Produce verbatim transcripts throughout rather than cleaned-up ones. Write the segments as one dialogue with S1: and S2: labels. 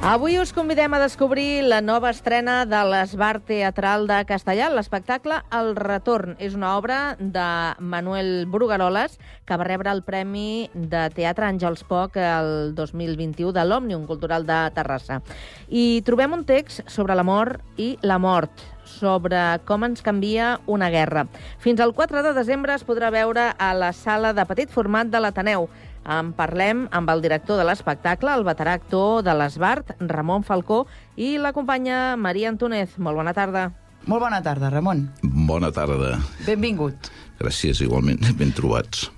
S1: Avui us convidem a descobrir la nova estrena de l'Esbart Teatral de Castellà. L'espectacle El Retorn és una obra de Manuel Brugueroles que va rebre el Premi de Teatre Àngels Poch el dos mil vint-i-u de l'Òmnium Cultural de Terrassa. I trobem un text sobre l'amor i la mort, sobre com ens canvia una guerra. Fins al quatre de desembre es podrà veure a la sala de petit format de l'Ateneu. En parlem amb el director de l'espectacle, el veterà actor de l'Esbart, Ramon Falcó, i la companya Maria Antúnez. Molt bona tarda.
S2: Molt bona tarda, Ramon.
S3: Bona tarda.
S2: Benvingut.
S3: Gràcies, igualment. Ben trobats.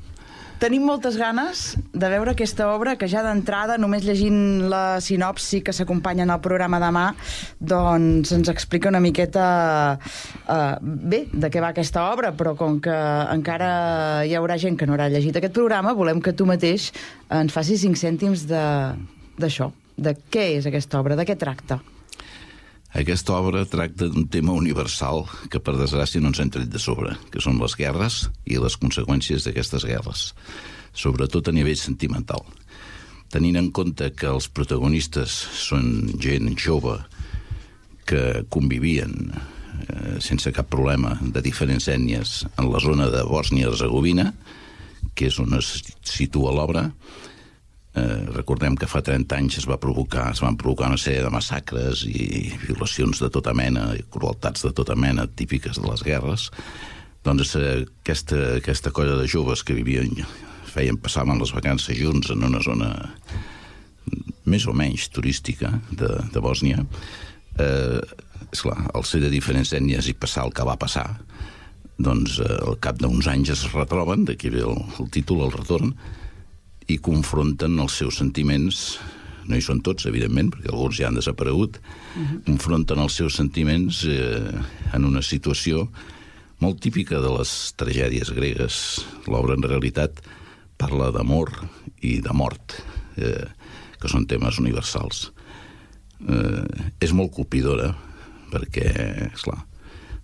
S2: Tenim moltes ganes de veure aquesta obra que ja d'entrada, només llegint la sinopsi que s'acompanya en el programa demà, doncs ens explica una miqueta uh, bé de què va aquesta obra, però com que encara hi haurà gent que no haurà llegit aquest programa, volem que tu mateix ens facis cinc cèntims d'això, de, de què és aquesta obra, de què tracta.
S3: Aquesta obra tracta d'un tema universal que, per desgràcia, no ens hem tret de sobre, que són les guerres i les conseqüències d'aquestes guerres, sobretot a nivell sentimental. Tenint en compte que els protagonistes són gent jove que convivien eh, sense cap problema de diferents ètnies en la zona de Bòsnia-Hercegovina, que és on es situa l'obra. Eh, recordem que fa trenta anys es va provocar, es van provocar una sèrie de massacres i violacions de tota mena i crueltats de tota mena típiques de les guerres. Doncs eh, aquesta, aquesta colla de joves que vivien, feien, passaven les vacances junts en una zona més o menys turística de, de Bòsnia, eh, esclar, al ser de diferents ètnies i passar el que va passar, doncs eh, al cap d'uns anys es retroben, d'aquí ve el, el títol, El Retorn, i confronten els seus sentiments, no hi són tots, evidentment, perquè alguns ja han desaparegut, uh-huh. confronten els seus sentiments eh, en una situació molt típica de les tragèdies gregues. L'obra, en realitat, parla d'amor i de mort, eh, que són temes universals. Eh, és molt colpidora, perquè, esclar,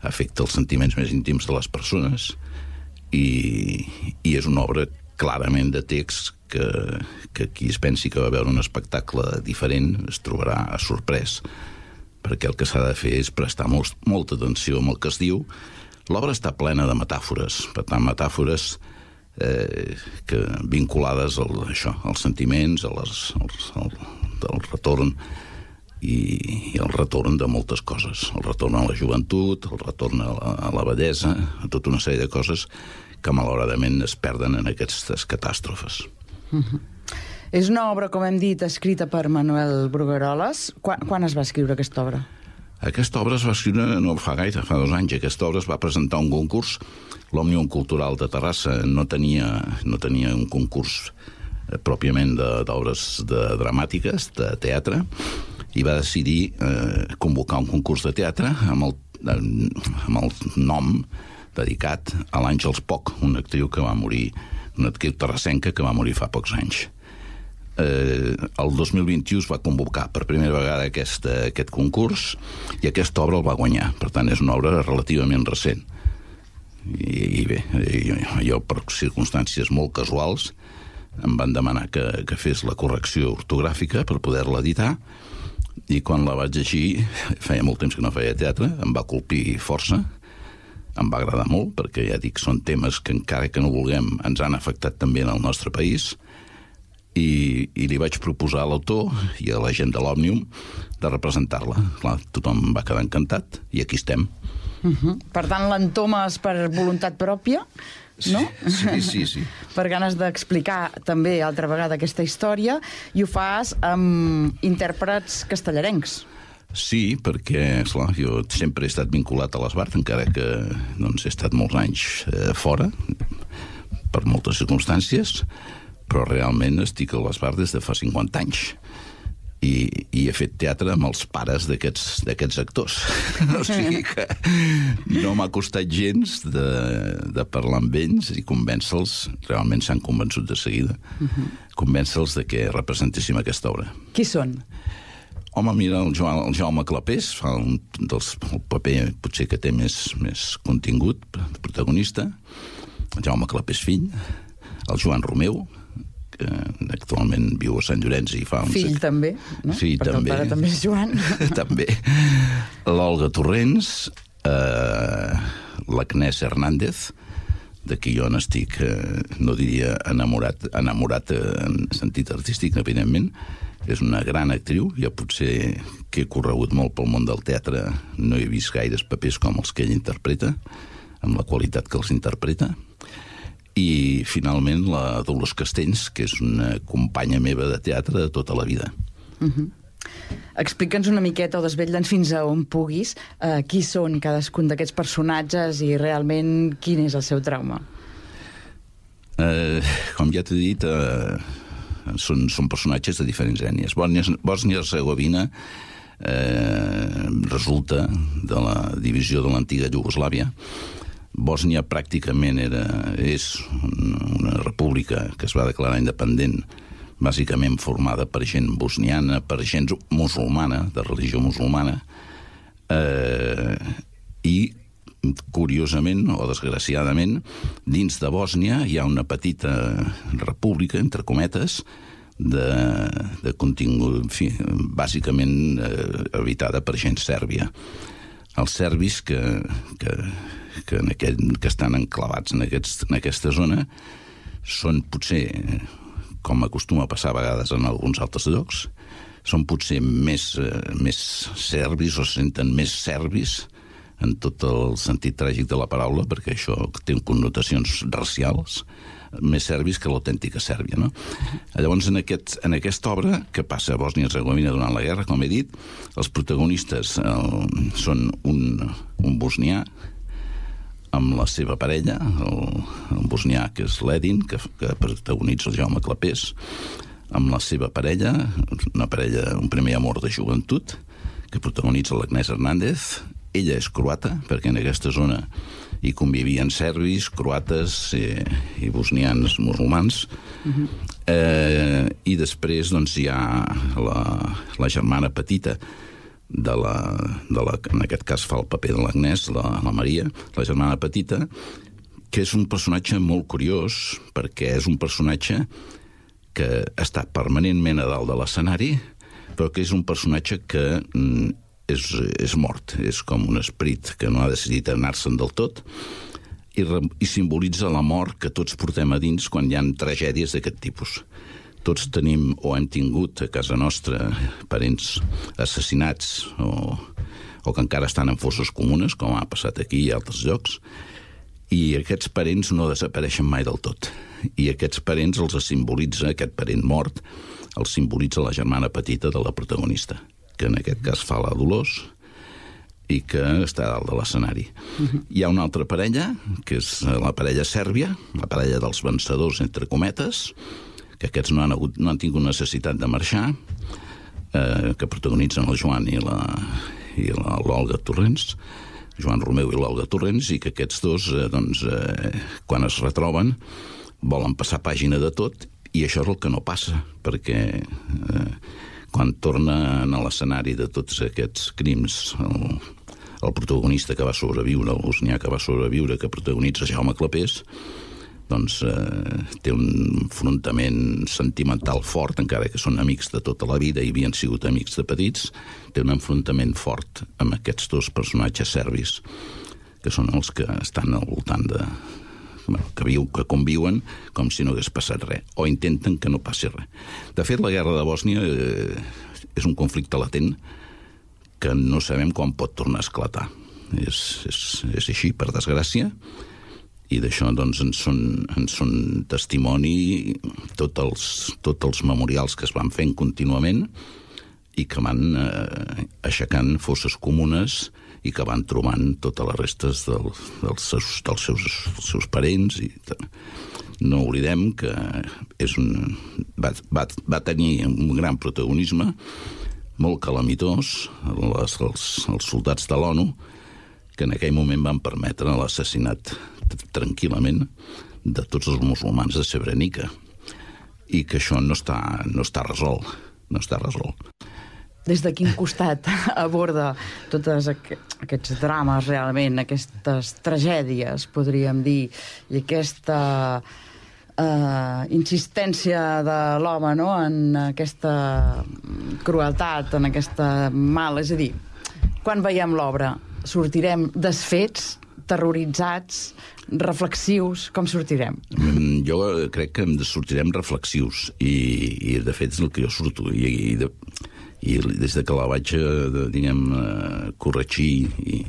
S3: afecta els sentiments més íntims de les persones i, i és una obra clarament de text que, que qui es pensi que va veure un espectacle diferent es trobarà sorprès, perquè el que s'ha de fer és prestar molt, molta atenció amb el que es diu. L'obra està plena de metàfores, per tant, metàfores eh, que, vinculades al, això, als sentiments, a les, als, al, al retorn i, i el retorn de moltes coses. El retorn a la joventut, el retorn a la, a la bellesa, a tota una sèrie de coses que malauradament es perden en aquestes catàstrofes.
S2: Uh-huh. És una obra, com hem dit, escrita per Manuel Brugueroles. Quan, quan es va escriure aquesta obra?
S3: Aquesta obra es va escriure no fa gaire, fa dos anys. Aquesta obra es va presentar a un concurs. L'Òmnium Cultural de Terrassa no tenia, no tenia un concurs eh, pròpiament d'obres de, de dramàtiques, de teatre, i va decidir eh, convocar un concurs de teatre amb el, amb el nom dedicat a l'Àngels Poch, una actriu que va morir, una actriu terrassenca que va morir fa pocs anys. Eh, el dos mil vint-i-u es va convocar per primera vegada aquest, aquest concurs i aquesta obra el va guanyar. Per tant, és una obra relativament recent. I, i bé, jo, jo per circumstàncies molt casuals em van demanar que, que fes la correcció ortogràfica per poder-la editar, i quan la vaig llegir, feia molt temps que no feia teatre, em va colpir força. Em va agradar molt, perquè ja dic, són temes que encara que no vulguem ens han afectat també en el nostre país, i, i li vaig proposar a l'autor i a la gent de l'Òmnium de representar-la. Clar, tothom va quedar encantat i aquí estem.
S2: Uh-huh. Per tant, l'entomes per voluntat pròpia, no?
S3: Sí, sí, sí.
S2: Per ganes d'explicar també altra vegada aquesta història, i ho fas amb intèrprets castellarencs.
S3: Sí, perquè, esclar, jo sempre he estat vinculat a l'Esbart, encara que doncs, he estat molts anys eh, fora, per moltes circumstàncies, però realment estic a l'Esbart des de fa cinquanta anys. I, i he fet teatre amb els pares d'aquests d'aquests actors. O sigui que no m'ha costat gens de, de parlar amb ells i convèncer-los, realment s'han convençut de seguida, uh-huh. convèncer-los de que representéssim aquesta obra.
S2: Qui són?
S3: Home, mira, el, Joan, el Jaume Clapés fa un dels, el paper potser que té més, més contingut, protagonista, el Jaume Clapés fill, el Joan Romeu, que actualment viu a Sant Llorenç i fa...
S2: Fill uns... també, no?
S3: Fill
S2: perquè
S3: també.
S2: el pare també és Joan.
S3: També. L'Olga Torrents, eh, l'Agnès Hernández, de qui jo n'estic, eh, no diria enamorat, enamorat en sentit artístic, evidentment. És una gran actriu, jo potser que he corregut molt pel món del teatre no he vist gaires papers com els que ell interpreta, amb la qualitat que els interpreta. I finalment la Dolors Castells, que és una companya meva de teatre de tota la vida.
S2: Uh-huh. Explica'ns una miqueta o desvetlla'ns fins a on puguis eh, qui són cadascun d'aquests personatges i realment quin és el seu trauma.
S3: Eh, com ja t'he dit, eh, són, són personatges de diferents ètnies. Bòsnia-Hercegovina eh, resulta de la divisió de l'antiga Iugoslàvia. Bòsnia pràcticament era, és una república que es va declarar independent, bàsicament formada per gent bosniana, per gent musulmana, de religió musulmana, eh, i curiosament o desgraciadament, dins de Bòsnia hi ha una petita república, entre cometes, de, de contingut, en fi, bàsicament eh, habitada per gent sèrbia. Els serbis que, que, que, en aquest, que estan enclavats en, aquests, en aquesta zona són potser, com acostuma a passar a vegades en alguns altres llocs, són potser més, eh, més serbis o se senten més serbis en tot el sentit tràgic de la paraula, perquè això té connotacions racials, més serbis que l'autèntica Sèrbia, no? Llavors, en, aquest, en aquesta obra, que passa a Bòsnia-Hercegovina durant la guerra, com he dit, els protagonistes eh, són un, un bosnià amb la seva parella, el, el bosnià que és l'Edin, que, que protagonitza el Jaume Clapés, amb la seva parella, una parella, un primer amor de joventut, que protagonitza l'Agnès Hernández. Ella és croata, perquè en aquesta zona hi convivien serbis, croates eh, i bosnians musulmans. Uh-huh. eh, I després doncs, hi ha la, la germana petita de la, de la, en aquest cas fa el paper de l'Agnès, la, la Maria, la germana petita, que és un personatge molt curiós, perquè és un personatge que està permanentment a dalt de l'escenari, però que és un personatge que mm, és, és mort, és com un esperit que no ha decidit anar-se'n del tot, i, re, i simbolitza la mort que tots portem a dins quan hi ha tragèdies d'aquest tipus. Tots tenim o hem tingut a casa nostra parents assassinats o, o que encara estan en fosses comunes, com ha passat aquí i a altres llocs, i aquests parents no desapareixen mai del tot. I aquests parents els simbolitza, aquest parent mort, els simbolitza la germana petita de la protagonista, que en aquest cas fa la Dolors i que està a dalt de l'escenari. Uh-huh. Hi ha una altra parella, que és la parella sèrbia, la parella dels vencedors, entre cometes, que aquests no han, hagut, no han tingut necessitat de marxar, eh, que protagonitzen el Joan i la i l'Olga Torrents, Joan Romeu i l'Olga Torrents, i que aquests dos, eh, doncs, eh, quan es retroben, volen passar pàgina de tot, i això és el que no passa, perquè eh, quan tornen a l'escenari de tots aquests crims, el, el protagonista que va sobreviure, el bosnià que va sobreviure, que protagonitza Jaume Clapés, doncs eh, té un enfrontament sentimental fort, encara que són amics de tota la vida i havien sigut amics de petits, té un enfrontament fort amb aquests dos personatges serbis, que són els que estan al voltant de... que, viu, que conviuen com si no hagués passat res, o intenten que no passi res. De fet, la guerra de Bòsnia eh, és un conflicte latent que no sabem quan pot tornar a esclatar. És, és, és així, per desgràcia, i d'això doncs, en, són, en són testimoni tots els, tots els memorials que es van fent contínuament i que van eh, aixecant fosses comunes i que van trobant totes les restes del, dels, seus, dels, seus, dels seus parents. I no oblidem que és un, va, va, va tenir un gran protagonisme, molt calamitós, les, els, els soldats de l'ONU, que en aquell moment van permetre l'assassinat tranquil·lament de tots els musulmans de Srebrenica, i que això no està, no està resolt, no està resolt.
S2: Des de quin costat aborda tots aquests drames realment, aquestes tragèdies, podríem dir, i aquesta uh, insistència de l'home, no?, en aquesta crueltat, en aquesta mal. És a dir, quan veiem l'obra, sortirem desfets, terroritzats, reflexius? Com sortirem?
S3: Jo crec que sortirem reflexius i, i de fet és el que jo surto i, i, de, i des de que la vaig diguem, corregir i,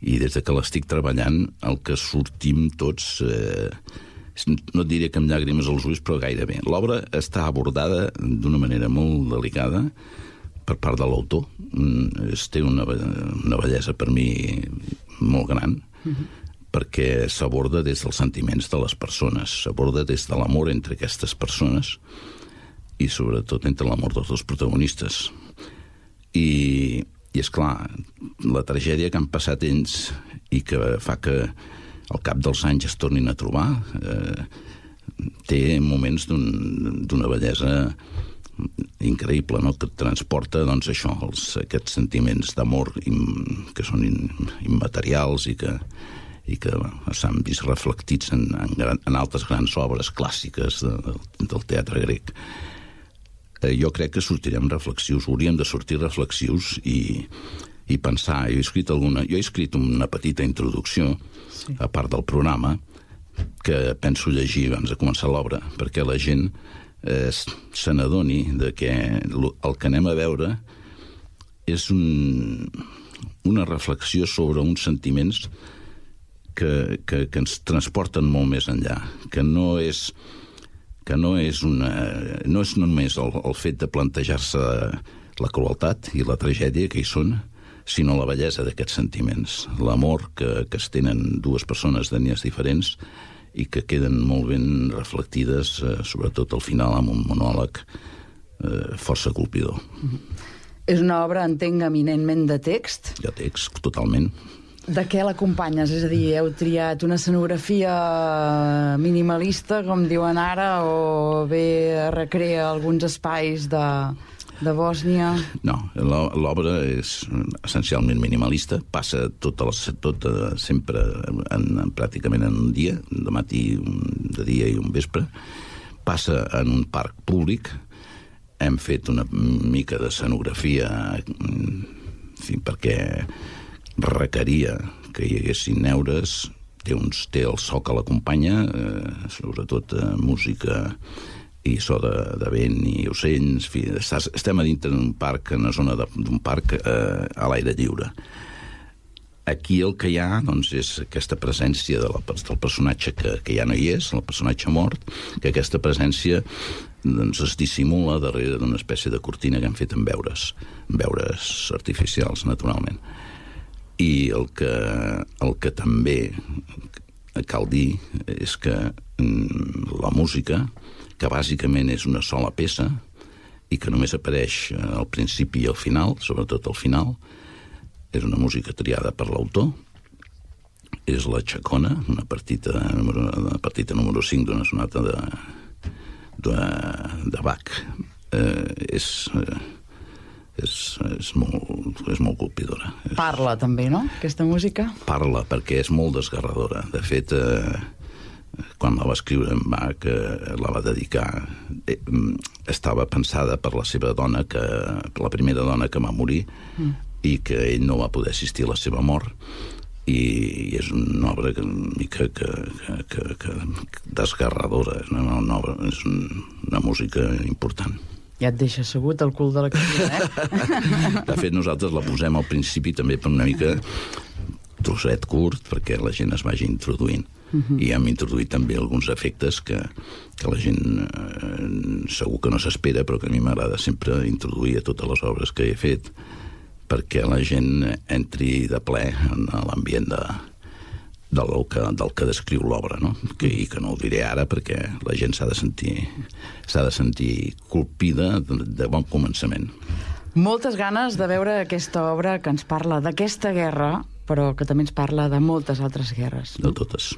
S3: i des de que l'estic treballant el que sortim tots eh, no et diré que amb llàgrimes als ulls però gairebé. L'obra està abordada d'una manera molt delicada per part de l'autor. Es té una, una bellesa per mi molt gran, uh-huh. perquè s'aborda des dels sentiments de les persones, s'aborda des de l'amor entre aquestes persones i sobretot entre l'amor dels dos protagonistes. I, i és clar, la tragèdia que han passat ells i que fa que al cap dels anys es tornin a trobar eh, té moments d'un, d'una bellesa increïble, no?, que transporta doncs, això, els, aquests sentiments d'amor im, que són in, immaterials i que, i que s'han vist reflectits en, en, gran, en altres grans obres clàssiques de, del teatre grec. Eh, jo crec que sortirem reflexius, hauríem de sortir reflexius i, i pensar. Jo he escrit, alguna, jo he escrit una petita introducció, sí. a part del programa, que penso llegir abans de començar l'obra, perquè la gent Eh, se n'adoni de que el que anem a veure és un, una reflexió sobre uns sentiments que, que, que ens transporten molt més enllà, que no és que no és, una, no és només el, el fet de plantejar-se la crueltat i la tragèdia que hi són, sinó la bellesa d'aquests sentiments, l'amor que, que es tenen dues persones d'ètnies diferents i que queden molt ben reflectides, eh, sobretot al final, amb un monòleg eh, força colpidor.
S2: Mm-hmm. És una obra, entenc, eminentment de text?
S3: De text, totalment.
S2: De què l'acompanyes? És a dir, heu triat una escenografia minimalista, com diuen ara, o bé recrea alguns espais de... de Bòsnia?
S3: No, l'obra és essencialment minimalista, passa tota la, tota, sempre en, en, pràcticament en un dia, de matí, de dia i un vespre, passa en un parc públic, hem fet una mica d'escenografia en fi, perquè requeria que hi haguessin neures, té, uns, té el so que l'acompanya, eh, sobretot eh, música i so de, de vent i ocells. Fi, estem a dintre d'un parc, en una zona d'un parc eh, a l'aire lliure. Aquí el que hi ha doncs, és aquesta presència de la, del personatge que, que ja no hi és, el personatge mort, que aquesta presència doncs, es dissimula darrere d'una espècie de cortina que hem fet amb veures, amb veures artificials, naturalment. I el que, el que també cal dir és que mm, la música, que bàsicament és una sola peça i que només apareix al principi i al final, sobretot al final, és una música triada per l'autor, és la Chacona, una partita, una partita número cinc d'una sonata de, de, de Bach. Eh, és, és, és, molt, és molt colpidora.
S2: Parla també, no?, aquesta música?
S3: Parla, perquè és molt desgarradora. De fet, eh, quan la va escriure en Bach, eh, la va dedicar, eh, estava pensada per la seva dona, que, la primera dona que va morir, mm. i que ell no va poder assistir a la seva mort, i, i és una obra que, que, que, que, que, que desgarradora, és una, una, obra, és una música important.
S2: Ja et deixa assegut el cul de la cançó, eh?
S3: De fet, nosaltres la posem al principi també per una mica trosset curt, perquè la gent es vagi introduint. Uh-huh. I hem introduït també alguns efectes que, que la gent eh, segur que no s'espera, però que a mi m'agrada sempre introduir a totes les obres que he fet, perquè la gent entri de ple en l'ambient de, del, que, del que descriu l'obra, no? Que, i que no ho diré ara perquè la gent s'ha de sentir s'ha de sentir colpida de, de bon començament.
S2: Moltes ganes de veure aquesta obra que ens parla d'aquesta guerra, però que també ens parla de moltes altres guerres.
S3: De totes.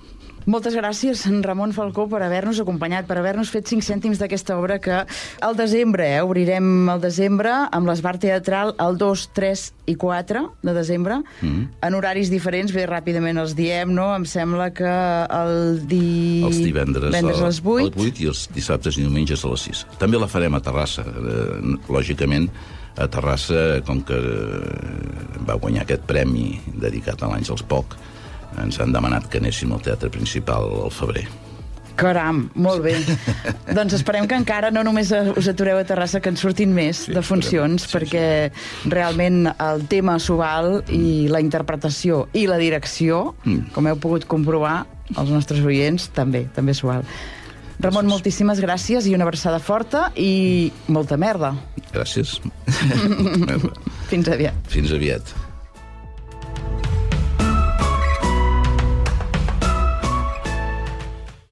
S2: Moltes gràcies, Ramon Falcó, per haver-nos acompanyat, per haver-nos fet cinc cèntims d'aquesta obra que al desembre, eh, obrirem el desembre amb l'Esbart Teatral el dos, tres i quatre de desembre, mm. en horaris diferents, bé, ràpidament els diem, no? Em sembla que el di...
S3: Els divendres,
S2: divendres a les vuit.
S3: A les vuit i els dissabtes i diumenges a les sis. També la farem a Terrassa, eh, lògicament, a Terrassa, com que va guanyar aquest premi dedicat a l'Àngels Poch, ens han demanat que anéssim al teatre principal al febrer.
S2: Caram, molt bé. Doncs esperem que encara no només us atureu a Terrassa, que en surtin més sí, de funcions, sí, perquè sí. realment el tema s'ho val i la interpretació i la direcció, mm. com heu pogut comprovar, els nostres oients també, també s'ho val. Ramon, moltíssimes gràcies i una abraçada forta i molta merda.
S3: Gràcies.
S2: Fins aviat.
S3: Fins aviat.